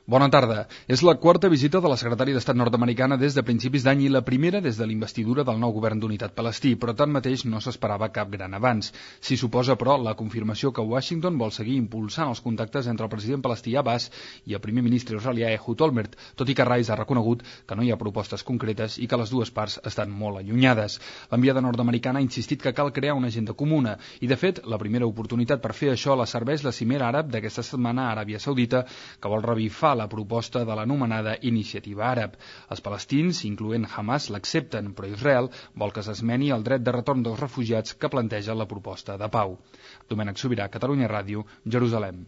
Bona tarda. És la quarta visita de la secretària d'Estat nord-americana des de principis d'any i la primera des de la investidura del nou govern d'unitat palestí, però tanmateix no s'esperava cap gran avanç. S'hi suposa, però, la confirmació que Washington vol seguir impulsant els contactes entre el president palestí Abbas i el primer ministre israelià Ehud Olmert, tot i que Rice ha reconegut que no hi ha propostes concretes i que les dues parts estan molt allunyades. L'enviada nord-americana ha insistit que cal crear una agenda comuna i, de fet, la primera oportunitat per fer això la serveix la cimera àrab d'aquesta setmana a Aràbia Saudita, que vol revifar la proposta de l'anomenada Iniciativa Àrab. Els palestins, incloent Hamas, l'accepten, però Israel vol que s'esmeni el dret de retorn dels refugiats que planteja la proposta de pau. Domènec Sobirà, Catalunya Ràdio, Jerusalem.